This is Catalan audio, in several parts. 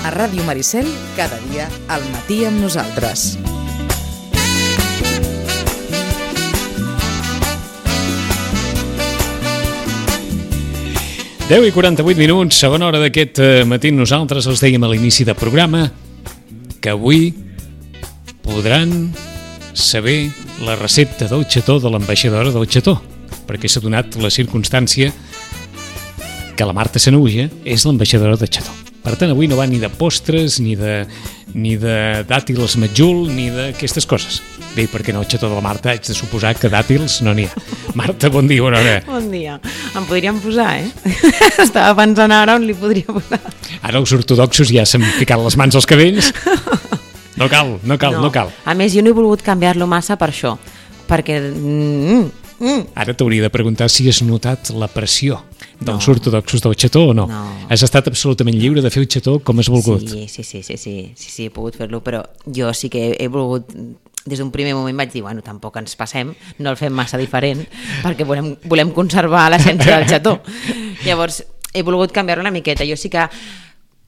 A Ràdio Maricel, cada dia al matí amb nosaltres. Deu i 48 minuts, segona hora d'aquest matí. Nosaltres els dèiem a l'inici del programa que avui podran saber la recepta del xató de l'ambaixadora del xató, perquè s'ha donat la circumstància que la Marta Sanaüja és l'ambaixadora del xató. Per tant, avui no va ni de postres, ni de dàtils matjul, ni d'aquestes coses. Bé, perquè no, el xató de la Marta haig de suposar que dàtils no n'hi ha. Marta, bon dia, bona hora. Bon dia. Em podríem posar, Estava pensant ara on li podria posar. Ara els ortodoxos ja s'han ficat les mans als cabells. No cal. A més, jo no he volgut canviar-lo massa per això, perquè... Ara t'hauria de preguntar si has notat la pressió dels ortodoxos del xató o no. Has estat absolutament lliure de fer el xató com has volgut. Sí, he pogut fer-lo, però jo sí que he volgut... Des d'un primer moment vaig dir, bueno, tampoc ens passem, no el fem massa diferent, perquè volem conservar l'essència del xató. Llavors, he volgut canviar-ho una miqueta. Jo sí que,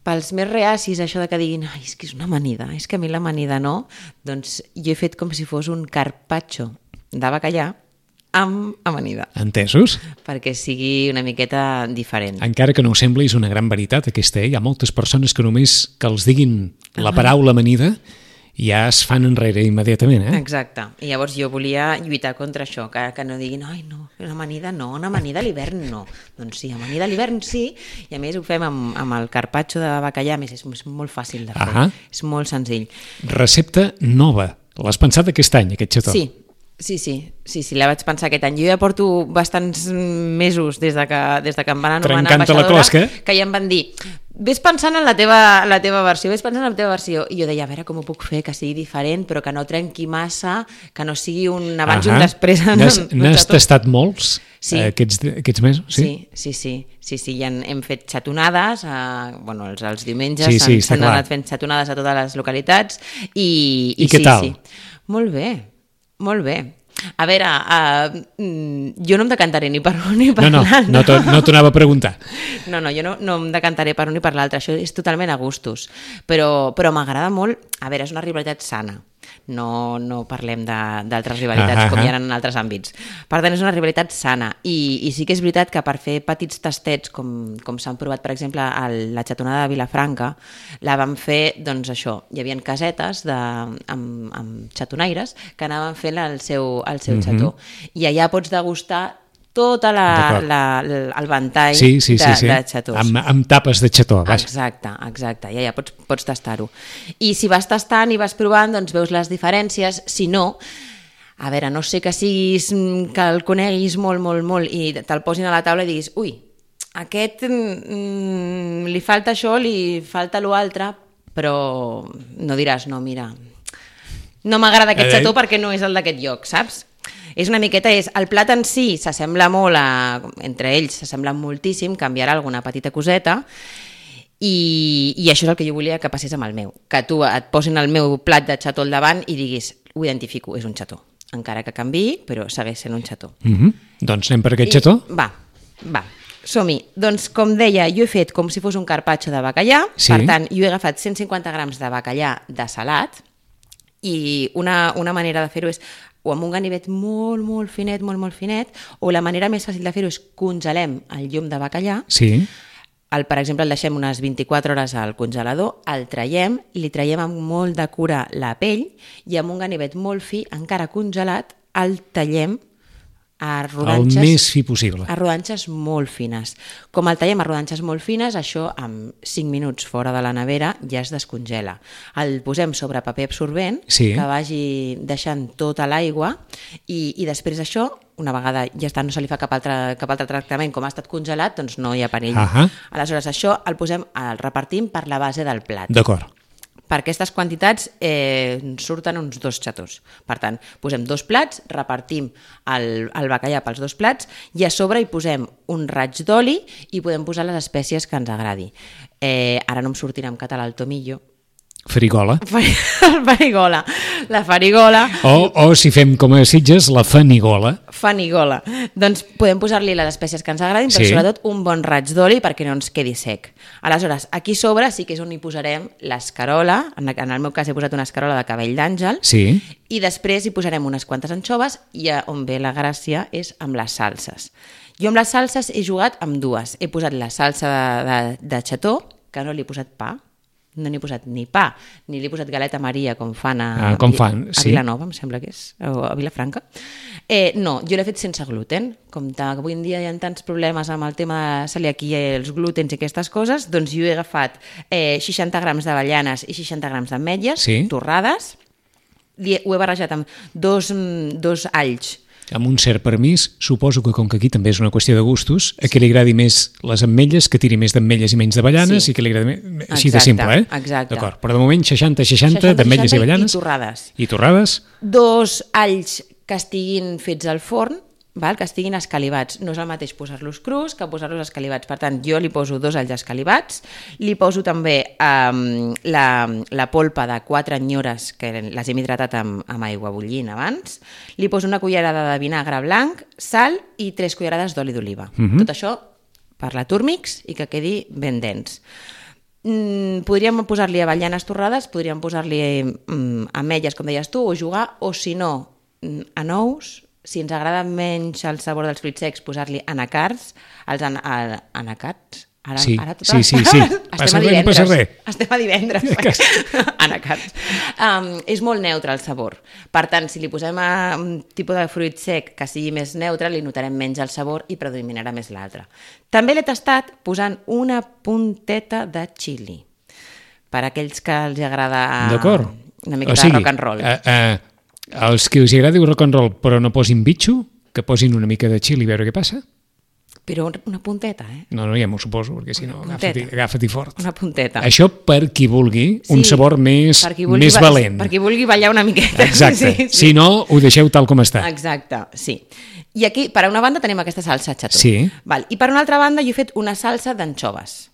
pels més reacis, això de que diguin, ai, és que és una amanida, és que a mi l'amanida no, doncs jo he fet com si fos un carpaccio de bacallà amb amanida. Entesos? Perquè sigui una miqueta diferent. Encara que no ho sembli, és una gran veritat aquesta, Hi ha moltes persones que només que els diguin la paraula amanida ja es fan enrere immediatament, Exacte. I llavors jo volia lluitar contra això, que no diguin, ai, no, una amanida no, una amanida a l'hivern no. Doncs sí, amanida a l'hivern sí, i a més ho fem amb el carpaccio de bacallà, a més és molt fàcil de fer, és molt senzill. Recepta nova, l'has pensat aquest any, aquest xató? Sí, la vaig pensar aquest any. Jo ja porto bastants mesos des de que em van anomenar ambaixadora, que ja em van dir, ves pensant en la teva versió, i jo deia, a veure com ho puc fer, que sigui diferent, però que no trenqui massa, que no sigui un abans i un després. N'has tastat molts aquests mesos? Sí, ja hem fet xatonades, els diumenges s'han anat fent xatonades a totes les localitats, i què tal? Molt bé. A veure, jo no em decantaré ni per un ni per l'altre. No t'ho anava a preguntar. No, jo no em decantaré per un ni per l'altre, això és totalment a gustos. Però m'agrada molt, a veure, és una rivalitat sana. No parlem d'altres rivalitats com hi ha en altres àmbits. Per tant, és una rivalitat sana i sí que és veritat que per fer petits tastets com s'han provat, per exemple, la xatonada de Vilafranca, la vam fer, doncs això, hi havia casetes amb xatonaires que anaven fent el seu xató. I allà pots degustar tot el ventall de xatós. Amb tapes de xató. Exacte, ja pots tastar-ho. I si vas tastant i vas provant, doncs veus les diferències. Si no, a veure, no sé que el coneguis molt i te'l posin a la taula i diguis, ui, aquest li falta això, li falta l'altre, però no diràs, no, mira, no m'agrada aquest xató perquè no és el d'aquest lloc, saps? És una miqueta, el plat en si s'assembla molt, entre ells s'assemblen moltíssim, canviarà alguna petita coseta, i això és el que jo volia que passés amb el meu, que tu et posin el meu plat de xató al davant i diguis, ho identifico, és un xató, encara que canviï, però segueix sent un xató. Doncs anem per aquest xató? Va, som-hi. Doncs com deia, jo he fet com si fos un carpaccio de bacallà, per tant, jo he agafat 150 grams de bacallà de salat, i una manera de fer-ho és o amb un ganivet molt finet, o la manera més fàcil de fer-ho és congelem el llom de bacallà, per exemple el deixem unes 24 hores al congelador, el traiem, li traiem amb molt de cura la pell i amb un ganivet molt fi, encara congelat, el tallem a rodanxes... El més fi possible. A rodanxes molt fines. Com el tallem a rodanxes molt fines, això amb 5 minuts fora de la nevera ja es descongela. El posem sobre paper absorbent, que vagi deixant tota l'aigua, i després això, una vegada ja està, no se li fa cap altre tractament, com ha estat congelat, doncs no hi ha perill. Aleshores, això el repartim per la base del plat. D'acord. Per aquestes quantitats surten uns 2 xatós. Per tant, posem 2 plats, repartim el bacallà pels 2 plats i a sobre hi posem un raig d'oli i podem posar les espècies que ens agradi. Ara no em sortirà en català el tomillo. Farigola. La farigola. O si fem com a Sitges, la fanigola. Fanigola. Doncs podem posar-li les espècies que ens agradin, però sobretot un bon raig d'oli perquè no ens quedi sec. Aleshores, aquí sobre sí que és on hi posarem l'escarola, en el meu cas he posat una escarola de cabell d'àngel, i després hi posarem unes quantes anxoves i on ve la gràcia és amb les salses. Jo amb les salses he jugat amb dues. He posat la salsa de xató, que no li he posat pa, no n'he posat ni pa, ni li he posat galeta Maria com fan a Vilanova, em sembla que és, o a Vilafranca. No, jo l'he fet sense gluten. Com que avui en dia hi ha tants problemes amb el tema de celiaquia, els glútens i aquestes coses, doncs jo he agafat 60 grams d'avellanes i 60 grams d'ametlles torrades, ho he barrejat amb dos alls. Amb un cert permís, suposo que com que aquí també és una qüestió de gustos, a qui li agradi més les ametlles, que tiri més d'ametlles i menys d'avellanes, i que li agradi més... Així de simple, Exacte. D'acord, però de moment 60-60 d'ametlles i avellanes. I torrades. 2 alls que estiguin fets al forn, que estiguin escalivats. No és el mateix posar-los crus que posar-los escalivats. Per tant, jo li poso 2 alls escalivats, li poso també la polpa de 4 anyores, que les hem hidratat amb aigua bullint abans, li poso una cullerada de vinagre blanc, sal i 3 cullerades d'oli d'oliva. Tot això per la Turmix i que quedi ben dens. Podríem posar-li avellanes torrades, podríem posar-li ametlles, com deies tu, o jugar, o si no, anous. Si ens agrada menys el sabor dels fruits secs, posar-li anacards, els anacats. Ara sí. Estem a divendres. Anacards. És molt neutre el sabor. Per tant, si li posem un tipus de fruit sec que sigui més neutre, li notarem menys el sabor i predominarà més l'altre. També l'he tastat posant una punteta de xili. Per aquells que els agrada una mica de rock and roll. Els que us agradi el rock and roll però no posin bitxo, que posin una mica de xili a veure què passa. Però una punteta, No, ja m'ho suposo, perquè si no, agafa-t'hi fort. Una punteta. Això per qui vulgui un sabor més valent. Per qui vulgui ballar una miqueta. Exacte. Si no, ho deixeu tal com està. Exacte, sí. I aquí, per una banda, tenim aquesta salsa xató. Sí. I per una altra banda, jo he fet una salsa d'anxoves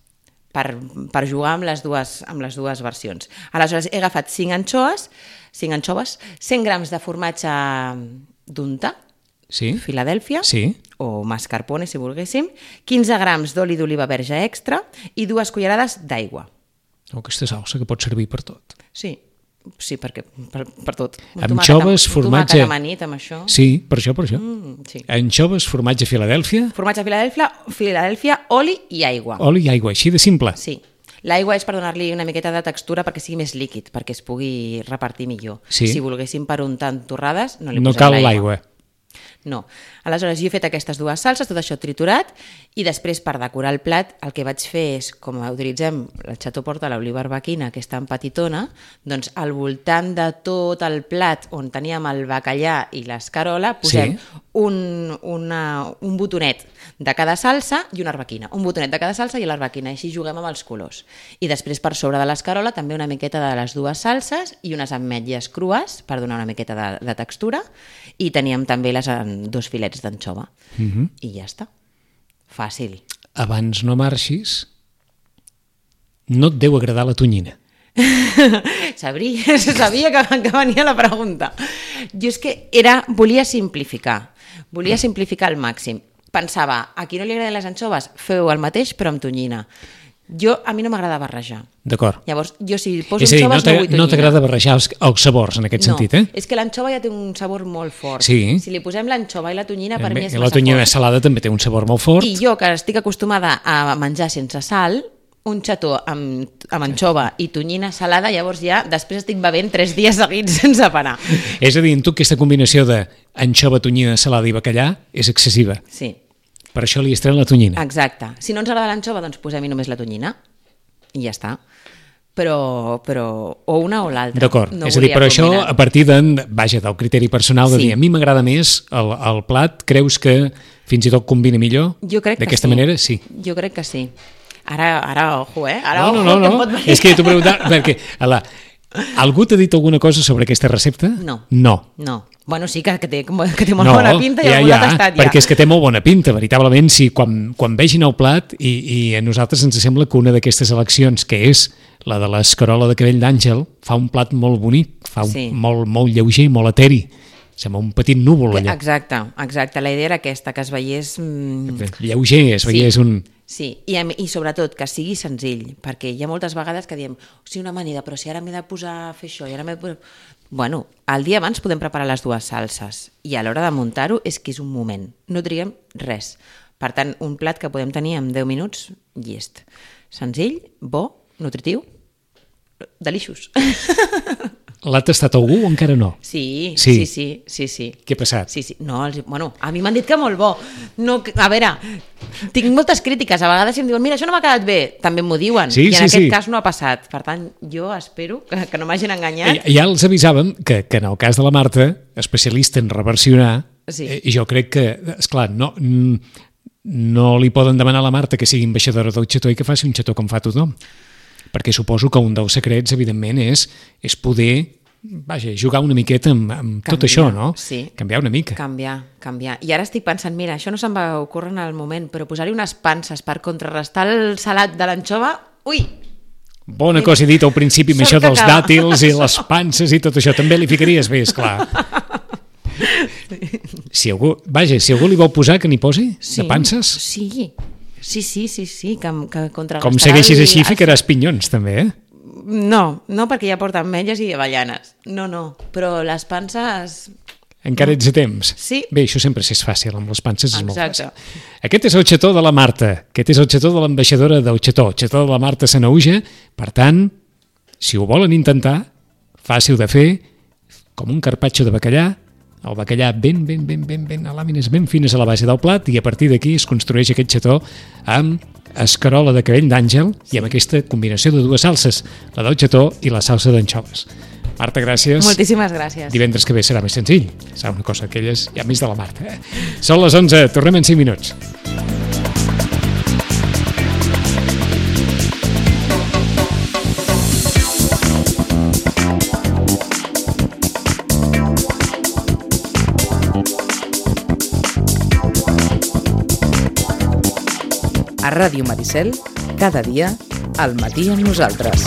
per jugar amb les dues versions. Aleshores, he agafat 5 anxoves, 100 grams de formatge d'unta, Filadèlfia, o mascarpone, si volguéssim, 15 grams d'oli d'oliva verge extra i 2 cullerades d'aigua. Aquesta salsa que pot servir per tot. Sí, perquè per tot. Anxoves, formatge... Tomàquet amanit amb això. Sí, per això. Anxoves, formatge Filadèlfia... Formatge Filadèlfia, oli i aigua. Oli i aigua, així de simple. Sí. L'aigua és per donar-li una miqueta de textura perquè sigui més líquid, perquè es pugui repartir millor. Si volguéssim per untar torrades, no li posem l'aigua. No cal l'aigua. No. Aleshores, jo he fet aquestes 2 salses, tot això triturat, i després, per decorar el plat, el que vaig fer és, com utilitzem el xató porta l'oliva arbequina, que és tan petitona, doncs al voltant de tot el plat on teníem el bacallà i l'escarola, posem un botonet de cada salsa i una arbequina. Un botonet de cada salsa i l'arbequina, així juguem amb els colors. I després, per sobre de l'escarola, també una miqueta de les 2 salses i unes ametlles crues, per donar una miqueta de textura, i teníem també 2 filets d'anxova. I ja està. Fàcil. Abans no marxis, no et deu agradar la tonyina. Sabia que venia la pregunta. Jo és que volia simplificar al màxim. Pensava, a qui no li agraden les anxoves, feu el mateix però amb tonyina. A mi no m'agrada barrejar. D'acord. Llavors, jo si poso anxoves no vull tonyina. No t'agrada barrejar els sabors en aquest sentit, No, és que l'anxova ja té un sabor molt fort. Sí. Si li posem l'anxova i la tonyina, per mi és massa fort. La tonyina salada també té un sabor molt fort. I jo, que estic acostumada a menjar sense sal, un xató amb anxova i tonyina salada, llavors ja després estic bevent 3 dies seguits sense parar. És a dir, en tu aquesta combinació d'anxova, tonyina, salada i bacallà és excessiva. Sí. Per això li estrena la tonyina. Exacte. Si no ens agrada l'anxova, doncs posem-hi només la tonyina i ja està. Però o una o l'altra. D'acord, és a dir, però això a partir del criteri personal de dir, a mi m'agrada més el plat, creus que fins i tot combina millor? Jo crec que sí. D'aquesta manera, sí. Jo crec que sí. Ara ojo, No. És que t'ho preguntava, perquè algú t'ha dit alguna cosa sobre aquesta recepta? No. Bueno, sí que té molt bona pinta i algú l'ha tastat ja. Perquè és que té molt bona pinta, veritablement, si quan vegin el plat i a nosaltres ens sembla que una d'aquestes eleccions, que és la de l'escarola de cabell d'àngel, fa un plat molt bonic, molt lleuger, molt eteri. sembla un petit núvol allà. Exacte. La idea era aquesta, que es veiés... Lleuger, es veiés un... Sí, i sobretot que sigui senzill, perquè hi ha moltes vegades que diem una amanida, però si ara m'he de posar a fer això, i ara m'he de posar... Bueno, el dia abans podem preparar les dues salses, i a l'hora de muntar-ho és que és un moment, no triguem res. Per tant, un plat que podem tenir en 10 minuts, llest. Senzill, bo, nutritiu, delicious. L'ha tastat algú o encara no? Sí. Què ha passat? Sí. No, bueno, a mi m'han dit que molt bo. No, a veure, tinc moltes crítiques. A vegades em diuen, mira, això no m'ha quedat bé. També m'ho diuen. I en aquest cas no ha passat. Per tant, jo espero que no m'hagin enganyat. Ja els avisàvem que en el cas de la Marta, especialista en reversionar, jo crec que, esclar, no li poden demanar a la Marta que sigui ambaixadora del xató i que faci un xató com fa tothom. Perquè suposo que un dels secrets, evidentment, és poder jugar una miqueta amb tot això, no? Sí. Canviar una mica. Canviar. I ara estic pensant, mira, això no se'm va ocórrer en el moment, però posar-hi unes panses per contrarrestar el salat de l'anxova, ui! Bona cosa he dit al principi amb això dels dàtils i les panses i tot això. També li ficaries bé, esclar. Si algú li vol posar, que n'hi posi? De panses? Sí, que contrarrestarà... Com segueixis així, ficaràs pinyons, també, eh? No, perquè ja porten ametlles i avellanes. No, però les panses... Encara ets a temps? Sí. Bé, això sempre és fàcil, amb les panses és molt Exacte. fàcil. Aquest és el xató de la Marta, aquest és el xató de l'ambaixadora del xató, el xató de la Marta Sanaüja. Per tant, si ho volen intentar, fàcil de fer, com un carpaccio de bacallà, el bacallà ben a làmines ben fines a la base del plat, i a partir d'aquí es construeix aquest xató amb escarola de cabell d'àngel i amb aquesta combinació de dues salses, la del xató i la salsa d'anxoves. Marta, gràcies. Moltíssimes gràcies. Divendres que ve serà més senzill. Serà una cosa d'aquelles ja més de la Marta. Són les 11, tornem en 5 minuts. A Ràdio Maricel, cada dia, al matí amb nosaltres.